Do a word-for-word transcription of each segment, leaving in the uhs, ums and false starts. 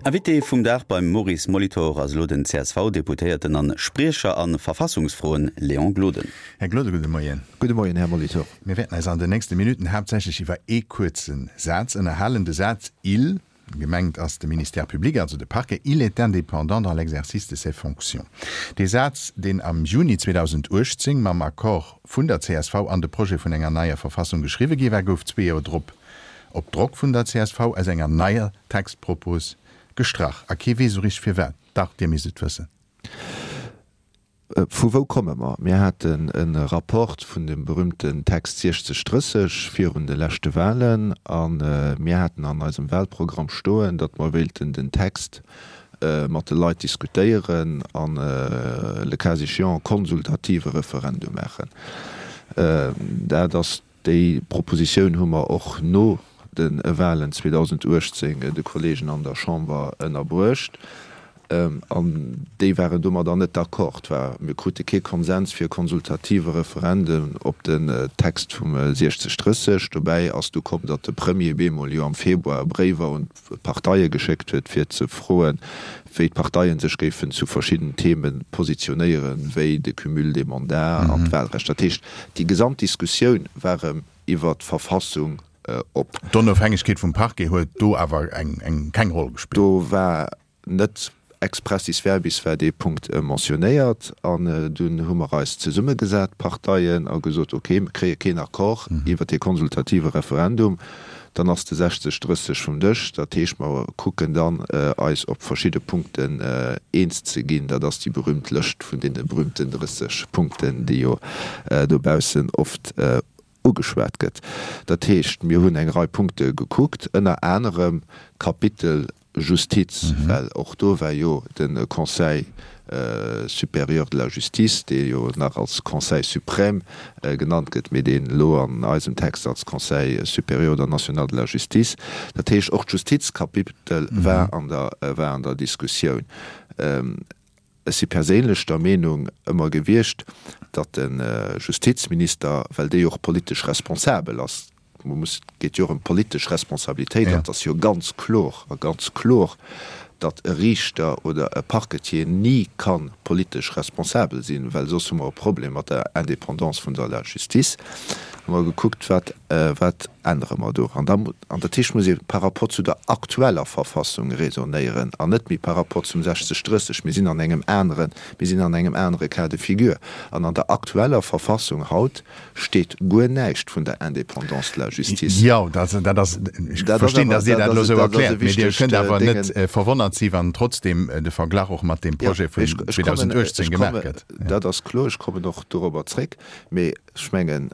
Invité vum Dag beim Maurice Molitor ass elo den C S V-Deputéierten an Spriecher a Verfassungsfroen Léon Gloden. Här Gloden, gudde Moien. Gudde Moien, Här Molitor. Mir wäerten eis an den nächste Minutten haaptsächlech iwwer ee kuerze Saz ënnerhalen. De Saz il, gemengt ass de Ministère public, also de Parquet, il est indépendant dans l'exercice de ses fonctions. Dee Saz, deen am Juni zweedausenduechtzéng mam Accord vun der C S V an de Projet vun enger neier Verfassung geschriwwe gi war, gouf zwee Joer drop op Drock vun der C S V aus enger neier Textpropos gestrach. A kee weess esou richteg firwat. Dach, Dir misst et wëssen. Vu wou komme mer? Mir haten e Rapport vun dem berühmten Text siechzeg drësseg virun de leschte Wahlen a mir haten an eisem Wahlprogramm stoen, datt mer wéilten den Text mat de Leit diskutéieren an le cas échéant e konsultative Referendum maachen. Dat ass déi Propositioun hu mer och no de Wahlen zweedausenduechtzéng de Kollegen an der Chamber ënnerbruecht. An déi waren domadder net d'accord. War, mir krute kee Konsens fir e konsultative Referendum op den Text vum siechzeg drësseg. Dobäi ass du komm, datt de Premier bemol jo am Februar Bréiwer un d'Parteie geschéckt huet, fir ze froen, wéi d'Parteie sech géifen zu verschiddenen Theme positionéieren, wéi de Cumul des mandats an d'Wahlrecht. Dat heescht, déi gesamt Diskussioun war erëm iwwert d'Verfassung op. D'Onofhängegkeet vum Parquet huet do awer eng eng keng Roll gespillt. Do war net expressis verbis war dee Punkt mentionnéiert an dunn hu mer eis zesummegesat, d'Parteien, a gesot, okay, mir kréie keen Accord iwwert dee konsultative Referendum, dann ass de sechzeg drësseg vum Dësch. Dat heescht, mer kucken dann eis op verschidde Punkten eens ze ginn. Dat ass déi berühmt Lëscht vun deene berühmten drësseg Punkten, déi jo dobaussen oft ugeschwat gëtt. Dat heescht, mir hunn eng Rei Punkte gekuckt, ënner anerem d'Kapitel Justiz, well och do war jo de Conseil supérieur de la justice, dee jo nach als Conseil suprême genannt gëtt, mee deen elo an eisem Text als Conseil supérieur oder national de la justice. Dat heescht, och d'Justizkapitel war an der, war an der Diskussioun. Ech si perséinlech der Meenung ëmmer gewiescht, datt de Justizminister, well dee jo och politesch responsabel ass, muss, et geet jo och ëm politesch Responsabilitéit, an et ass jo ganz klor a ganz klor, datt e Riichter oder e Parquetier ni ka politesch responsabel sinn, well soss hu mer e Problem mat der Indépendance vun der la Justice, hu mer gekuckt, wat, wat ännere mer do. An da, an dat heescht, muss ee par rapport zu der aktueller Verfassung raisonnéieren an net méi par rapport zum sechzeg drësseg. Mir sinn an engem aneren, mir sinn an engem anere Cas de figure. An an der aktueller Verfassung haut steet guer näischt vun der Indépendance de la justice. Jo, dat, dat ass, ech verstinn, datt Dir dat elo esou erkläert, mee Dir kënnt awer net verwonnert si wann trotzdem de Verglach och mat deem Projet vun zweedausenduechtzéng gemaach gëtt. Dat ass kloer, ech kommen och dorobber zréck. Mee ech mengen,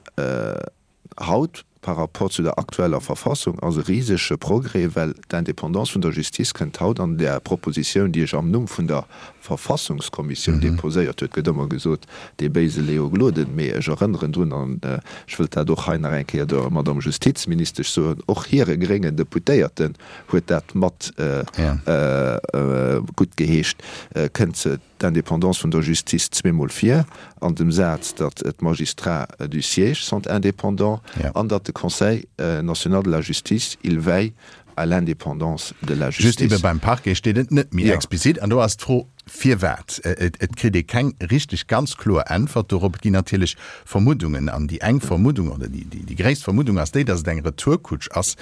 haut par rapport zu der aktueller Verfassung ass e risege Progrès, well d'Indépendance vun der Justiz kënnt haut an där Propositioun, déi ech am Numm vun der Verfassungskommissioun déposéiert huet, gëtt ëmmer gesot, dee béise Léo Gloden, mee ech erënneren drun, an ech wëllt dat och hei nach eng Kéier der Madame Justizministesch soen, och hire gréngen Deputéierten huet dat mat guttgeheescht, kënnt se d'Indépendance vun der Justice zweemol vir, an dem Saz, datt d'Magistrats du siège sont indépendants an datt de Conseil national de la justice, il veille à l'indépendance de la justice. Just ebe beim Parquet steet et net méi explizit. An do ass d'Fro, Firwat? Et kritt ee keng richteg ganz kloer Äntwert dorop. Et ginn natierlech Vermuddungen. An déi eng Vermuddung, oder déi gréisst Vermuddung ass déi, datt et eng Retourkutsch ass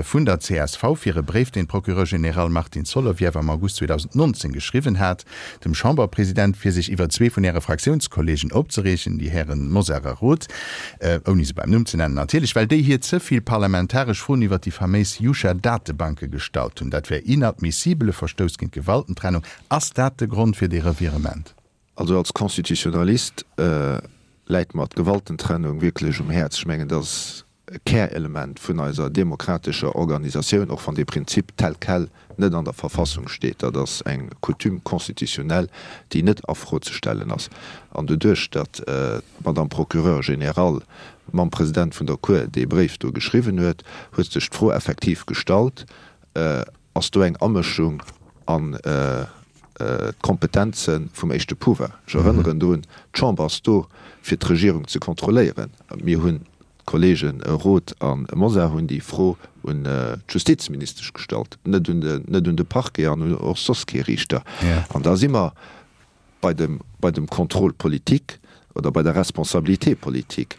vun der C S V fir e Bréif, deen d'Procureur général Martine Solovieff am August zweedausendnonzéng geschriwwen hat dem Chamberpresident, fir sech iwwer zwee vun äre Fraktiounskolleegen opzereegen, déi Hären Mosar a Roth, ouni se beim Numm ze nennen natierlech, well déi hir ze vill parlamentaresch Froen iwwer déi faméis Yusha-Datebanke gestallt hunn. Dat wär inadmissibel, e Verstouss géint d'Gewaltentrennung. Ass dat de Grond fir dee Revirement? Also als Constitutionnalist läit mer d'Gewaltentrennung wierklech um Häerz. Ech mengen, dat ass e Kärelement vun eiser demokratescher Organisatioun, och wann dee Prinzip tel quel net an der Verfassung steet. Dat ass eng Coutume constitutionnelle, déi net a Fro ze stellen ass. An doduerch, datt d'Madame Procureure générale mam President vun der Cour dee Bréif do geschriwwen huet, huet sech d'Fro effektiv gestallt, Ass do eng Amëschung an d'Kompetenze vum éischte Pouvoir? Ech erënneren drun, d'Chamber ass do, fir d'Regierung ze kontrolléieren. Mir hunn D'Kollege Roth a Mosar hunn déi Fro un d'Justizministesch gestallt, net un de, net un de Parquet an un och soss kee Riichter. An da si mer bei dem, bei dem Contrôle politique oder bei der Responsabilité politique.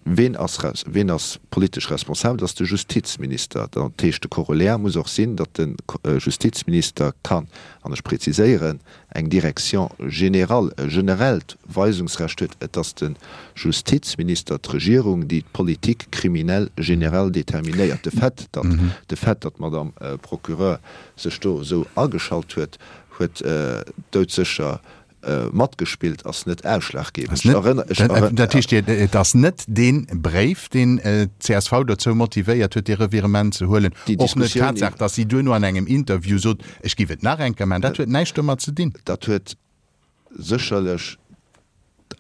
Ween ass, ween ass politesch responsabel? Dat ass de Justizminister. Dat heescht, de Corollaire muss och sinn, datt de Justizminister kann, an ech preziséieren, eng Direction générale, e generellt Weisungsrecht huet. Et ass de Justizminister, d'Regierung, déi d'Politique criminelle générale déterminéiert. De Fait, datt, de Fait, datt d'Madame Procureur sech do esou ageschalt huet, huet doudsécher matgespillt, ass net ausschlaggebend. Dat heescht, et ass net dee Bréif, deen d'CSV dozou motivéiert huet, dee Revirement ze huelen, och net d'Tatsaach, datt si duerno an engem Interview sot, ech géif et nach eng Kéier maachen. Dat huet näischt domat ze dinn. Dat huet sécherlech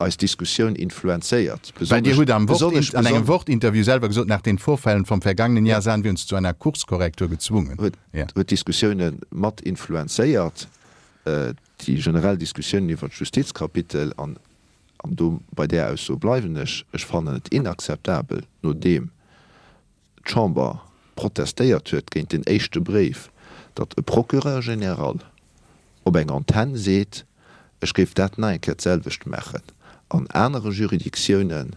eis Diskussioun influenzéiert. Well Dir hutt am Wort, an engem Wort-Interview selwer gesot, nach den Vorfällen vom vergangenen Jahr sahen wir uns zu einer Kurskorrektur gezwungen. Huet d'Diskussioune mat influenzéiert. Déi generell Diskussiounen iwwert d'Justizkapitel, an do bei där Ausso bleiwen ech, ech fannen et inakzeptabel, nodeem d'Chamber protestéiert huet géint deen éischte Bréif, datt e Procureur général op eng Antenn seet, ech géif dat nach eng Kéier d'selwecht maachen. An anere Juridictiounen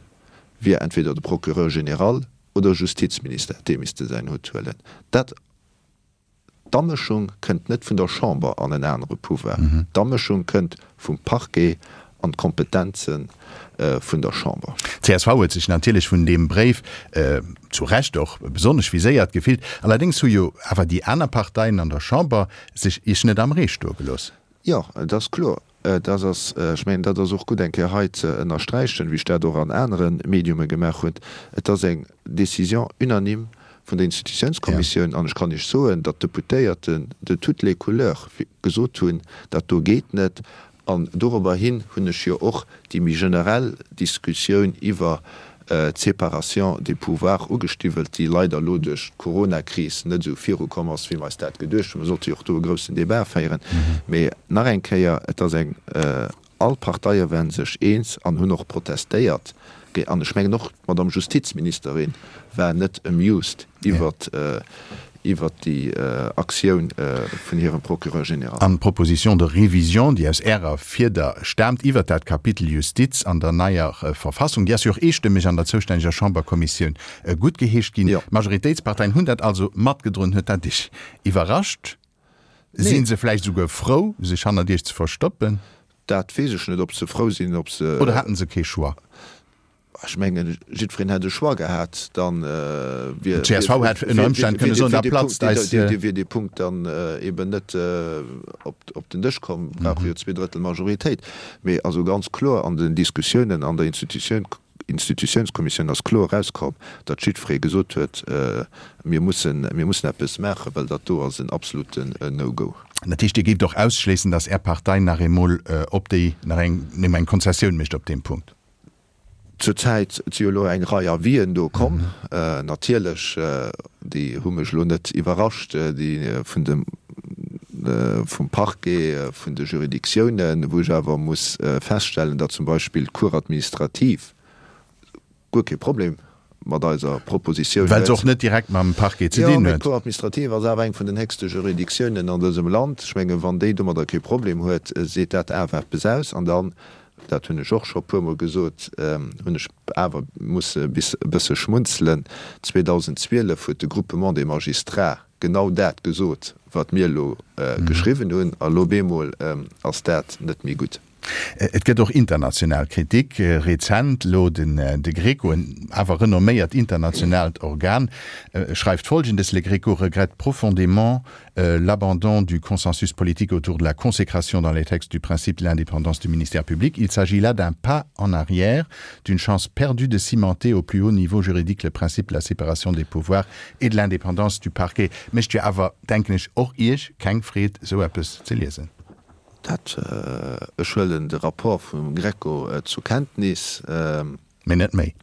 wier entweder de Procureur général oder Justizminister, dee misste säin Hutt huelen. Dat D'Amëschung kënnt net vun der Chamber an en anere Pouvoir. D'Amëschung kënnt vum Parquet an d'Kompetenze vun der Chamber. D'CSV huet sech natierlech vun deem Bréif, zu Recht och, besonnesch viséiert gefillt. Allerdéngs hu jo awer déi aner Parteien an der Chamber sech Iech net am Ree stoe gelooss. Jo, et ass kloer. Dat ass, ech mengen, dat ass och gutt eng Kéier hei ze ënnersträichen, wéi ech dat och an anere Mediume gemaach hunn, Et ass eng Décision unanime vun der Institutiounskommissioun an ech kann Iech soen, datt d'Deputéierten de toutes les couleurs gesot hunn, dat do geet net. An dorobber hin hunn ech jo och déi méi generell Diskussioun iwwer d'Séparation des pouvoirs ugestiwwelt, déi leider elo duerch d'Coronakris net esou virukomm ass, wéi mer eis dat geduecht hunn. Mer sollte jo och do e groussen Débat féieren. Mee nach eng Kéier, et ass eng, all Parteie waren sech eens an hunn och protestéiert An ech mengen och d'Madame Justizministerin war net amused iwwert iwwert déi Aktioun vun hirem Procureur général. An d'Proposition de révision, déi aus Ärer Fieder staamt, iwwert dat Kapitel Justiz an der neier Verfassung, déi ass jo och eestëmmeg an der zoustänneger Chamberkommissioun guttgeheescht ginn. D'Majoritéitsparteien hunn dat also matgedroen. Huet dat Iech iwwerrascht? Si se vläicht esouguer frou, sech hannert Iech ze verstoppen? Dat weess ech net, ob se frou sinn, ob se. Oder haten se kee Choix? Ech mengen, jiddwereen hätt e Choix gehat, dann wier. D'CSV hätt ënner Ëmstänn kënne soen, da platzt eis. Wier dee Punkt dann eben net op den Dësch komm, brauche jo zwee Drëttel Majoritéit. Mee also ganz kloer an den Diskussiounen an der Institutioun, Institutiounskommissioun ass kloer erauskomm, datt jiddweree gesot huet, mir mussen, mir mussen eppes maachen, well dat do ass en absoluten No-Go. Dat heescht, Dir géift och ausschléissen, datt Är Partei nach eemol op déi, nach eng, eng Konzessioun mécht op deem Punkt? Zur Zäit si jo elo eng Rei Avisen do komm. Natierlech, déi hu mech elo net iwwerrascht, déi vun dem, vum Parquet, vun de Juridictiounen, wou ech awer muss feststellen, datt zum Beispill d'Cour administrative guer kee Problem mat eiser Propositioun huet. Well se och net direkt mam Parquet ze dinn huet. Jo, mee d'Cour administrative ass awer eng vun den héchste Juridictiounen an dësem Land. Ech mengen, wann déi domadder kee Problem huet, seet dat awer eppes aus. An dann dat hunn ech och scho puermol gesot, hunn ech awer musse bis e bësse schmunzelen, zweedausendzwielef huet de Groupement des Magistrats genau dat gesot, wat mir elo geschriwwen hunn, a lo bemol ass dat net méi gutt. Et gëtt och international Kritik. Rezent elo de Greco, en awer renomméiert internationaalt Organ, schreift Folgendes, Le Greco regrette profondément l'abandon du consensus politique autour de la consécration dans les textes du principe de l'indépendance du ministère public. Il s'agit là d'un pas en arrière, d'une chance perdue de cimenter au plus haut niveau juridique le principe de la séparation des pouvoirs et de l'indépendance du parquet. Mécht jo awer, denken ech, och Iech keng Freed, esou eppes ze liesen. Dat, ech huelen de Rapport vum Greco zur Kenntnis. Mee net méi.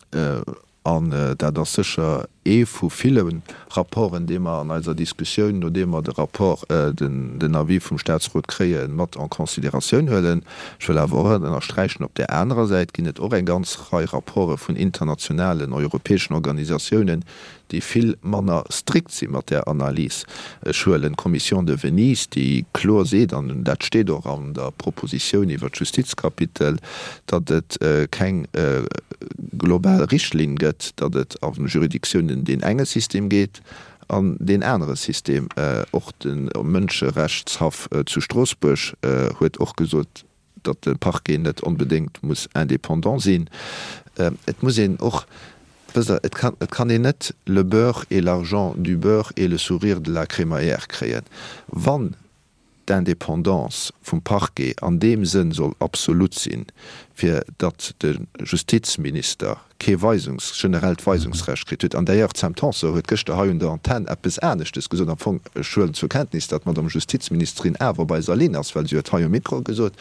An dat ass sécher ee vu ville Rapporten, dee mer an eiser Diskussioun, nodeem mer de Rapport, den Avis vum Statsrot kréien, mat en considératioun huelen. Ech wëll awer och ënnersträichen, op där anerer Säit ginn et och eng ganz Rei Rapporte vun internationalen, europäeschen Organisatiounen, déi vill manner strikt si mat där Analys. Ech huelen d'Commission de Venise, déi kloer seet, an dat steet och an der Propositioun iwwert d'Justizkapitel, datt et keng global Richtlinn gëtt, datt et a Juridictiounen deen enge System gétt an deen anere System. Och de Mënscherechtshaff zu Stroossbuerg huet och gesot, datt de Parquet net onbedéngt muss indépendant sinn. Et muss een och, wësst Der, et kann, et kann een net le beurre et l'argent du beurre et le sourire de la crémaillère kréien. Wann d'Indépendance vum Parquet an deem Sënn soll absolut sinn, fir datt de Justizminister kee Weisungs-, generellt Weisungsrecht kritt huet, an d'ailleurs d'Sam Tanson huet gëschter hei un der Antenn eppes aneschtes gesot, am Fong, ech huelen zur Kenntnis, datt d'Madame Justizministerin awer op eiser Linn ass, well si huet hei um Mikro gesot,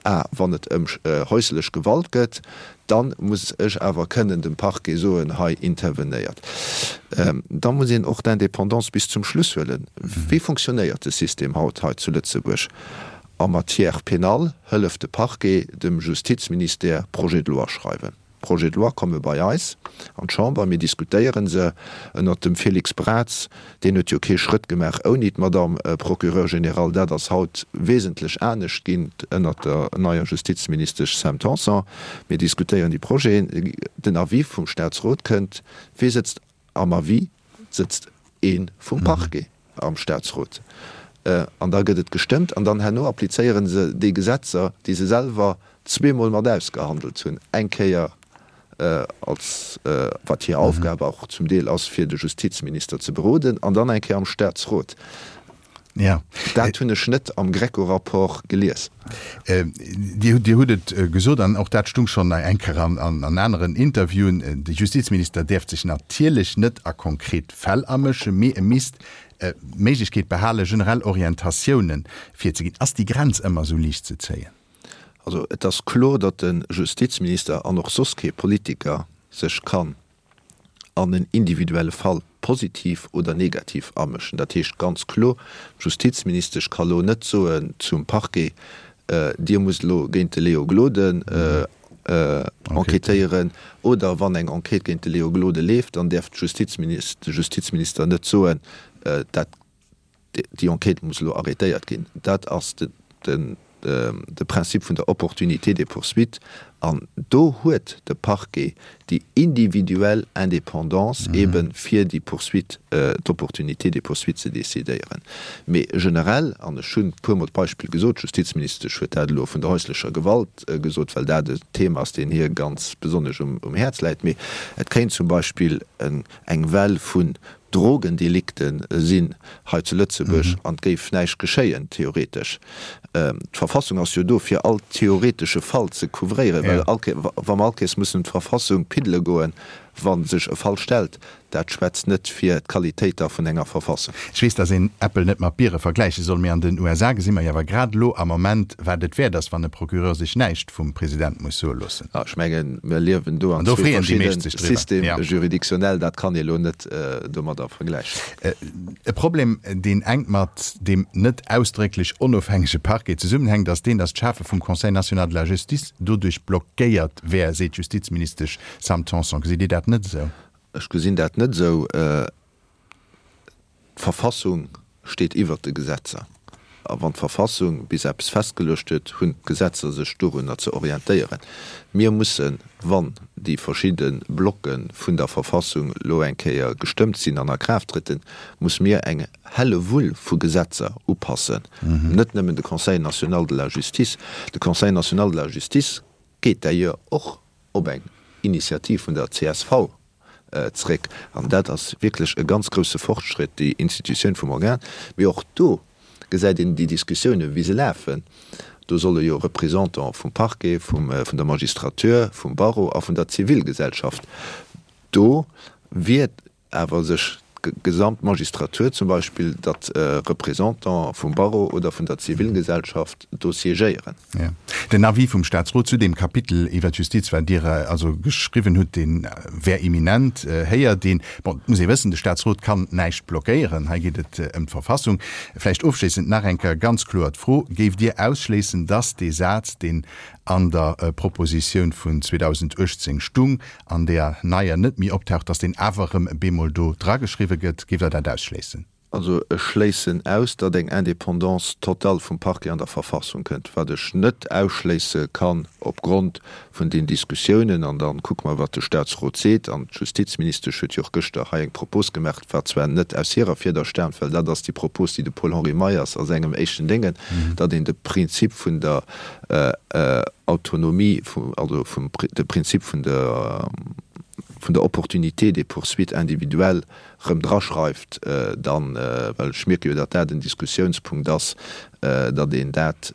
ah, wann et ëm häuslech Gewalt gëtt, dann muss ech awer kënnen dem Parquet soen, hei intervenéiert. Da muss een och d'Indépendance bis zum Schluss huelen. Wéi funktionéiert de System haut hei zu Lëtzebuerg? En matière pénale hëlleft de Parquet dem Justizministère Projets de loi schreiwen. D'Projets de loi komme bei eis an d'Chamber, mir diskutéiere se ënnert dem Félix Braz. Deen huet jo kee Schrëtt gemaach ouni d'Madame Procureur général. Dat ass haut wesentlech anescht ginn ënnert der neier Justizministesch Sam Tanson. Mir diskutéieren déi Projeten. Den Avis vum Statsrot kënnt. Wee sëtzt am Avis? Et sëtzt ee vum Parquet am Statsrot. An da gëtt et gestëmmt an dann herno applizéiere se déi Gesetzer, déi se selwer zweemol mat ausgehandelt hunn, eng Kéier als, wat hir Aufgab och zum Deel ass, fir de Justizminister ze beroden, an dann eng Kéier am Statsrot. Dat hunn ech net am GRECO-Rapport gelies. Dir hutt et gesot, an och dat stung schonn eng Kéier an aneren Interviewen, de Justizminister däerf sech natierlech net a konkret Fäll amëschen, mee e misst d'Méiglechkeet behalen, generell Orientatiounen virzeginn. Ass déi Grenz ëmmer esou liicht ze zéien? Also et ass kloer, datt de Justizminister an och soss kee Politiker sech kann an en individuelle Fall positiv oder negativ amëschen. Dat heescht ganz kloer, d'Justizministesch ka lo net soen zum Parquet, Dir musst elo géint de Léo Gloden enquêtéieren, oder wann eng Enquête géint de Léo Gloden leeft, dann däerf de Justizminister net soen, dat déi Enquête muss elo arrêtéiert ginn. Dat ass de Prinzip vun der Opportunité des poursuites an do huet de Parquet déi individuell Indépendance eebe fir déi Poursuite, d'Opportunité des poursuites ze decidéieren. Mee generell, an ech hunn e puermol d'Beispill gesot, d'Justizministesch huet dat elo vun der häuslecher Gewalt gesot, well dat e Thema ass, deen hir ganz besonnesch um Häerz läit, mee et kéint zum Beispill eng Well vun Drogendelikte sinn hei zu Lëtzebuerg an et géif näischt geschéien, theoretesch. D'Verfassung ass jo do, fir all theoretesche Fall ze couvréieren, well all Kéier, wa mer all Kéiers mussen un d'Verfassung piddele goen, wa sech e Fall stellt, dat schwätzt net fir d'Qualitéit da vun enger Verfassung. Ech weess, dass een Äppel net mat Biere vergläiche soll, mee an den U S A gesi mer jo awer grad elo am Moment, wat et wäert ass, wann e Procureur sech näischt vum President muss soe loossen. Ech mengen, mir liewen do an zwee verschidde Systèmes juridictionnels, dat kann ee elo net domadder vergläichen. E Problem, deen enk mat deem net ausdrécklech onofhängege Parquet zesummenhänkt, ass deen, dass d'Schafe vum Conseil national de la justice doduerch blockéiert wär, seet d'Justizministesch Sam Tanson. Gesitt Dir dat net esou? Ech gesinn dat net esou. D'Verfassung steet iwwert de Gesetzer. A wann d'Verfassung bis eppes festgeluecht huet, hunn d'Gesetzer sech dorunner ze orientéieren. Mir mussen, wann déi verschidde Blocke vun der Verfassung elo eng Kéier gestëmmt sinn an a Kraaft trëtten, muss mir eng Hellewull vu Gesetzer upassen. Net nëmmen de Conseil national de la justice. De Conseil national de la justice geet d'ailleurs och op eng Initiativ vun der C S V zréck. An dat ass wierklech e ganz grousse Fortschritt, déi Institutioun vum Organ. Mee och do gesäit een déi Diskussiounen, wéi se lafen. Do solle jo Représentants vum Parquet, vum, vun der Magistrature, vum Barreau a vun der Zivilgesellschaft do wier awer sech d'gesamt Magistratur zum Beispill, datt Représentant vum Barreau oder vun der Zivilgesellschaft do siégéieren. Jo. Den Avis vum Staatsrot zu deem Kapitel iwwer d'Justiz, wat Dir also geschriwwen hutt, dee wär imminent, héiert een. Bon, et muss ee wëssen, de Staatsrot kann näischt blockéieren. Hei geet et ëm d'Verfassung. Vläicht ofschléissend nach eng Kéier ganz kloer d'Fro, Géift Dir ausschléissen, datt dee Saz, deen an der Propositioun vun zweedausenduechtzéng stung, an deer neier net méi optaucht, datt deen awer erëm bemol do drageschriwwe gëtt? Géift Der dat ausschléissen? Also ech schléissen aus, datt eng Indépendance totale vum Parquet an der Verfassung kënnt. Wat ech net ausschléisse kann opgrond vun den Diskussiounen, an da kucke mer, wat de Statsrot seet, an d'Justizministesch huet jo och gëschter hei eng Propos gemaach, wat zwar net aus hirer Fieder staamt, well dat ass déi Propos, déi de Paul-Henri Meyers a sengem éischten Déngen, datt een de Prinzip vun der Autonomie, also vum de Prinzip vun der vun der Opportunité des poursuites individuelles erëm draschreift, dann, well ech mierke jo, datt dat en Diskussiounspunkt ass, datt een dat,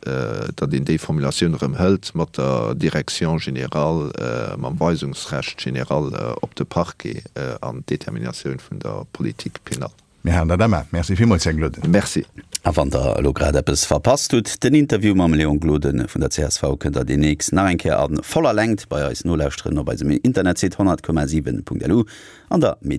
datt een déi Formulatioun erëm hëlt mat der Direction générale, mam Weisungsrecht général op de Parquet an d'Déterminatioun vun der Politique pénale. Mir halen dat am A. Merci villmools, Här Gloden. Merci. A wann der elo grad eppes verpasst hutt, den Interview mam Léon Gloden vun der C S V kënnt der deemnächst nach eng Kéier a voller Längt bei eis nolauschteren op eisem Internetsite honnert Komma siwen Punkt lu an der Mediathéik.